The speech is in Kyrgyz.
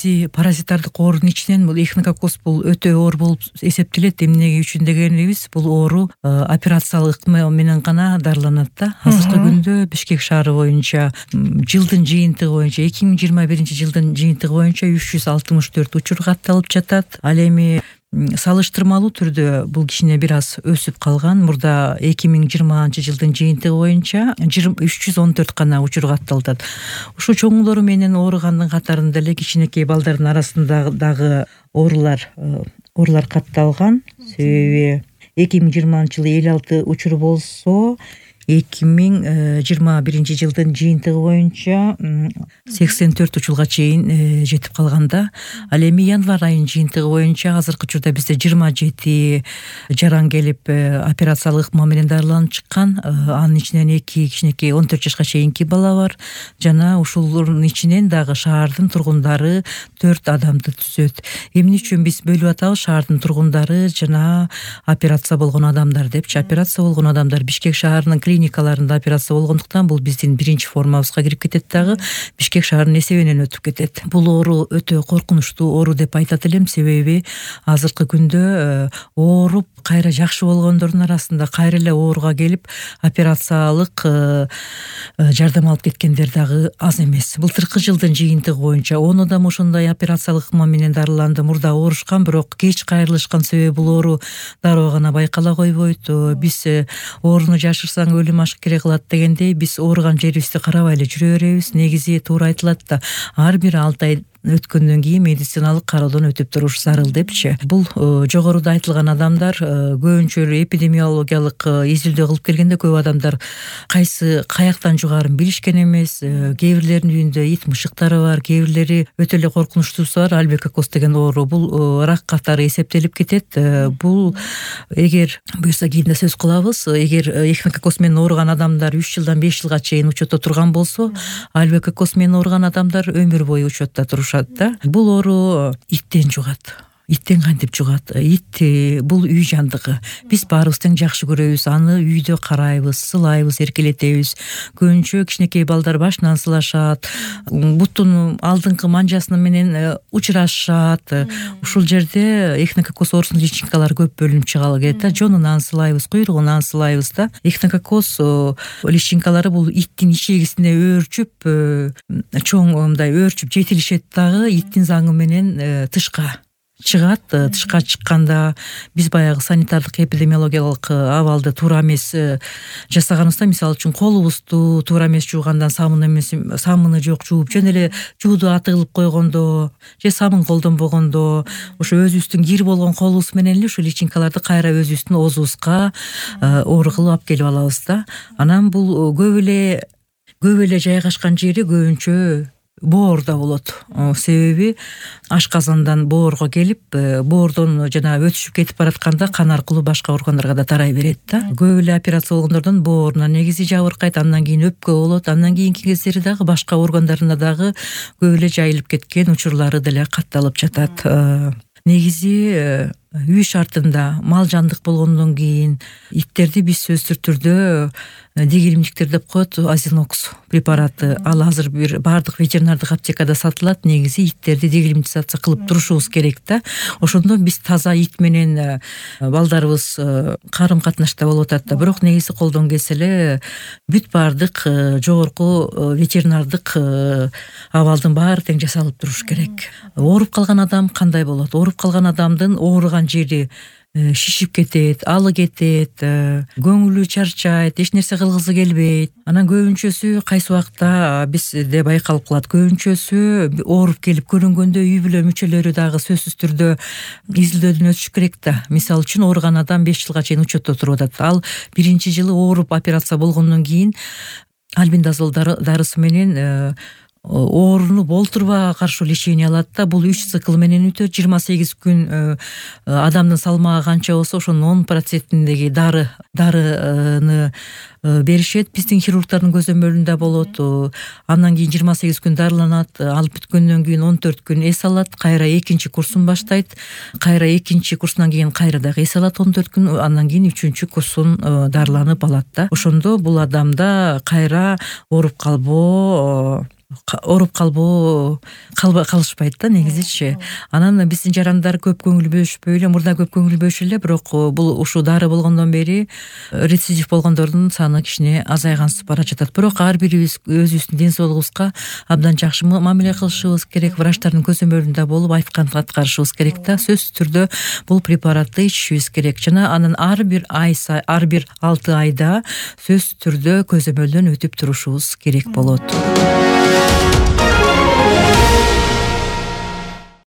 негизи паразиттардык оорунун ичинен бул эхинококкоз бул өтө оор болуп эсептелет. Эмнеге үчүн дегенибиз, бул оору операциялык ыкма менен гана дарыланат да. Азыркы күндө Бишкек шаары боюнча жылдын жыйынтыгы боюнча 2021-жылдын жыйынтыгы боюнча 364 учур катталып жатат. Ал эми салыштырмалуу түрдө бул кичине бир аз өсүп калган. Мурда 2020-жылдын жыйынтыгы боюнча 314 гана учур катталат. Ушу чоңулору менен ооругандын катарында эле кичинекей балдардын арасында дагы оорулар катталган. Себеби 2020-жылы 56 учур болсо, 2021-жылдын жыйынтыгы боюнча 84 учурга чейин жетип калганда. Ал эми январь айынын жыйынтыгы боюнча азыркы учурда бизде 27 жаран келип операциялык ыкма менен дарыланып чыккан. Анын ичинен 2 кичинекей 14 жашка чейинки бала бар. Жана ушулордун ичинен дагы шаардын тургундары 4 адамды түзөт. Эмне үчүн биз бөлүп атабыз шаардын тургундары жана операция болгон адамдар депчи. Операция болгон адамдар Бишкек шаарынын клиникаларында операция болгондуктан бул биздин биринчи формабызга кирип кетет дагы, Бишкек шаарынын эсебинен өтүп кетет. Бул оору өтө коркунучтуу оору деп айтат элем, себеби азыркы күндө ооруп кайра жакшы болгондордун арасында кайра эле ооруга келип операциялык жардам алып кеткендер дагы аз эмес. Былтыркы жылдын жыйынтыгы боюнча 10 адам ошондой операциялык ыкма менен дарыланды. Мурда оорушкан, бирок кеч кайрылышкан, себеби бул оору дароо гана байкала койбойт. Биз ооруну жашырсаң өлүм ашкере кылат дегендей, биз ооруган жерибизди карабай эле жүрө беребиз. Негизи туура айтылат да, ар бир 6 ай өткөндөн кийин медициналык кароодон өтүп туруш зарыл депчи. Бул жогоруда айтылган адамдар көбүнчө эпидемиологиялык изилдөө кылып келгенде көп адамдар каяктан жугаарын билишкен эмес. Кээ бирлеринин үйүндө ит мышыктары бар, кээ бирлери өтө эле коркунучтуусу бар. Альбекоккоз деген оору бул рак катары эсептелип кетет. Бул эгер буюрса кийинде сөз кылабыз. Эгер эхинококкоз менен ооруган адамдар 3 жылдан 5 жылга чейин учетто турган болсо, альбекоккоз менен ооруган адамдар өмүр бою учетто турушат. Бул оору иттен жугат. Иттен кантип жугат? Ит бул үй жандыгы. Биз баарыбыз тең жакшы көрөбүз. Аны үйдө карайбыз, сылайбыз, эркелетебиз. Көбүнчө кичинекей балдар башынан сылашат, буттун алдыңкы манжасы менен учурашат. Ушул жерде эхинококкоз оорусунун личинкалары көп бөлүнүп чыгалы келет да. Жонунан сылайбыз, куйругунан сылайбыз да. Эхинококкоз личинкалары бул иттин ичегисине өөрчүп, чоң мындай өөрчүп жетилишет дагы, иттин заңы менен тышка чыгат. Тышка чыкканда биз баягы санитардык эпидемиологиялык абалды туура эмес жасаганыбызда, мисалы үчүн колубузду туура эмес жуугандан, самыны жок жууп, жөн эле жууду атылып койгондо же самын колдонбогондо, ошо өзүбүздүн кир болгон колубуз менен эле ушул личинкаларды кайра өзүбүздүн оозубузга оор кылып алып келип алабыз да. Анан бул көп эле жайгашкан жери көбүнчө боордо болот. Себеби ашказандан боорго келип, боордон жана өтүшүп кетип баратканда кан аркылуу башка органдарга да тарай берет да. Көп эле операция болгондордон боорунан негизи жабыркайт, андан кийин өпкө болот, андан кийинки кездери дагы башка органдарына дагы көп эле жайылып кеткен учурлары деле катталып жатат. Негизи үй шартында мал жандык болгондон кийин иттерди биз сөзсүз түрдө дегилимдиктер деп коет, азинокс препараты. Ал азыр бир бардык ветеринардык аптекада сатылат. Негизи иттерди дегилимдизация кылып турушубуз керек да. Ошондо биз таза ит менен балдарыбыз карым катнашта болуп атат да. Бирок негизи колдон келсе эле бүт бардык жогорку ветеринардык абалдын баары тең жасалып туруш керек. Ооруп калган адам кандай болот? Ооруп калган адамдын ооруган жери шишип кетет, алы кетет, көңүлү чарчайт, эч нерсе кылгысы келбейт. Анан көбүнчөсү кайсы убакта бизде байкалып калат. Көбүнчөсү ооруп келип көрүнгөндө үй бүлө мүчөлөрү дагы сөзсүз түрдө изилдөөдөн өтүш керек да. Мисалы үчүн ооруган адам 5 жылга чейин учетто туруп атат. Ал биринчи жылы ооруп операция болгондон кийин альбендазол дарысы менен ооруну болтурбай каршы лечение алат да. Бул 3 цикл менен өтөт. 28 күн адамдын салмагы канча болсо ошонун 10%-индеги дарыны беришет. Биздин хирургдардын көзөмөлүндө болот. Андан кийин 28 күн дарыланат. Алып бүткөндөн кийин 14 күн эс алат. Кайра экинчи курсун баштайт. Кайра экинчи курсунан кийин кайра дагы эс алат 14 күн. Андан кийин 3-чү курсун дарыланып алат да. Ошондо бул адамда кайра ооруп калбоо ооруп калышпайт да негизичи. Анан биздин жарандар көп көңүл бөлүшпөй эле, мурда көп көңүл бөлүшү эле, бирок бул ушул дары болгондон бери рецидив болгондордун саны кичине азайгансып бара жатат. Бирок ар бирибиз өзүбүздүн ден соолугубузга абдан жакшы мамиле кылышыбыз керек, врачтардын көзөмөлүндө болуп айтканын аткарышыбыз керек да. Сөзсүз түрдө бул препаратты ичишибиз керек жана анын ар бир 6 айда сөзсүз түрдө көзөмөлдөн өтүп турушубуз керек болот.